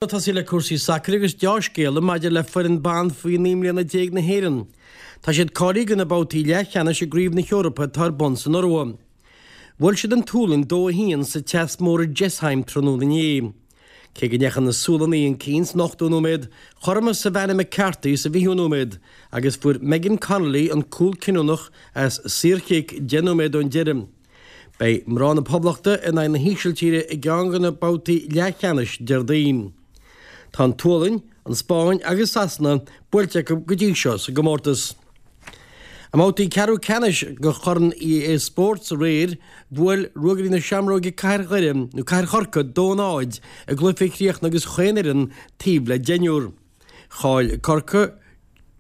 Tosaí le cúrsaí sacair agus deá-scéala maidir le foireann ban faoi 19 mbliana na hÉireann. Tá siad cáilithe do na babhtaí leathcheannais i gCraobh na hEorpa atá ar bun san Iorua. Bhuail siad an tSualainn 2-1 sa teas mór i Jessheim tráthnóna inné. Cé go ndeachaigh na Sualannaigh chun cinn san ochtú nóiméad, chothromaigh Savannah McCarthy sa bhfichiú nóiméad agus fuair Megan Connolly an cúl cinniúnach as saorchic 10 nóiméad ón deireadh. Beidh mná na Poblachta in aghaidh na hÍsiltíre i gceann de na babhtaí leathcheannais Déardaoin. Tá an tSualainn, an Spáinn agus Sasana buailte acu go dtí seo sa gcomórtas. I mbabhtaí ceathrú ceannais de Chorn EA Sports aréir, bhuail Ruagairí na Seamróige Cathair Dhoire, nó Cathair Chorcaí, 2-0 i gcluiche a chríochnaigh agus chaon fhoireann taobh le deichniúr. Chaill Corcaigh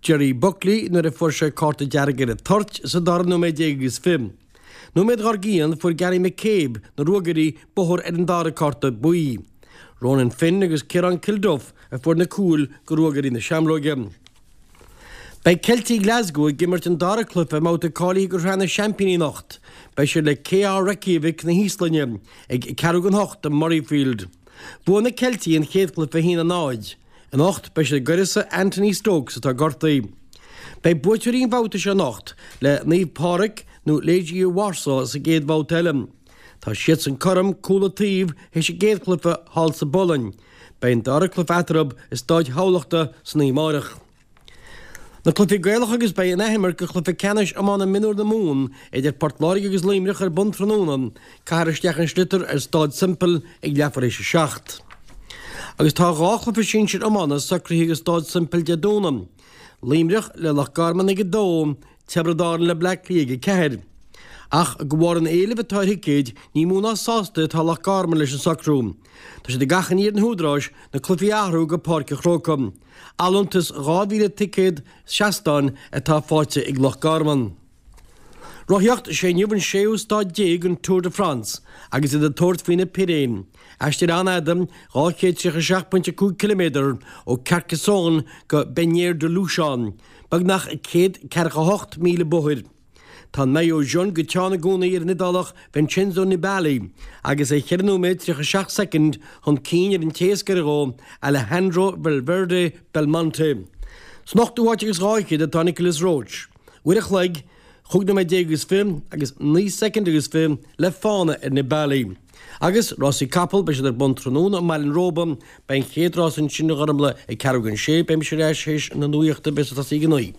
Jerry Buckley nuair a fuair sé cárta dearg ar an toirt sa dara nóiméad déag agus 20. Nóiméad dhár gcionn fuair Gary McCabe na Ruagairí bóthar ar an dara cárta buí. Ronan Finn agus Ciarán Kilduff a fuair na cúil go Ruagairí na Seamróige. Beidh Ceiltigh Glasgow ag imirt an dara cluiche i mbabhta cáilithe go Sraith na Seaimpíní anocht. Beidh siad le KR Reykjavik na hÍoslainne ag ceathrú don hocht i Murrayfield. Bhuaigh na Ceiltigh an chéad chluiche 1-0. Anocht beidh siad i gcuireasa Anthony Stokes atá gortaithe. Beidh buaiteoirí an bhabhta seo anocht le Naomh Pádraig nó Legia Warsaw sa gcéad bhabhta eile. Tá siadsan cothrom, cúl an taobh, théis an gcéad chluiche thall sa bPolainn. Beidh an dara cluiche eatarthu i Stáid Thamhlachta san oíche amárach. Na cluichí Gaelacha agus beidh an athimirt de chluiche ceannais iomána mionúr na Mumhan idir Port Láirge agus Luimneach ar bun tráthnóna. Caithfear isteach an sliotar ar Stáid Semple ag leathuair théis a 7. Agus tá 2 chluiche sinsir iomána socraithe ag Stáid Semple Dé Domhnaigh. Luimneach le Loch Garman ag 2, Tiobraid Árann le Bleá Cliath ag 4. Ach de bharr an éilimh atá ar thicéid, ní mó ná sásta atá Loch Garman leis an socrú. Tá siad ag achainí ar na húdaráis na cluichí a athrú go Páirc an Chrócaigh. Allúntas 2,000 ticéad seastáin atá faighte ag Loch Garman. Rothaíocht, Is é inniu an séú staid déag den Tour de France agus iad ag tabhairt faoi na Piréiní. Aistear an-fhada, 237.5 ciliméadar ó Carcassonne go Bagnères-de-Luchon, beagnach 148 míle bóthair. Tá an maillot jaune go teann i gcónaí ar an Iodálach Vincenzo Nibali agus é 4 nóiméad 37 soicind chun cinn ar an té is gaire dhó, Alejandro Valverde Belmonte. San ochtú háit agus dhá fhichead atá Nicolas Roche. Uair a chloig, chúig nóiméad déag agus 20 agus 9 soicind agus 20 le fána ar Nibali. Agus rásaí capall, beidh siad ar bun tráthnóna i mBaile an Róba. Beidh an chéad rás ansin a Ghormfhlaith ag ceathrú don sé. Beidh mise ar ais théis na nuachta, beidh ag tosaí ag a naoi.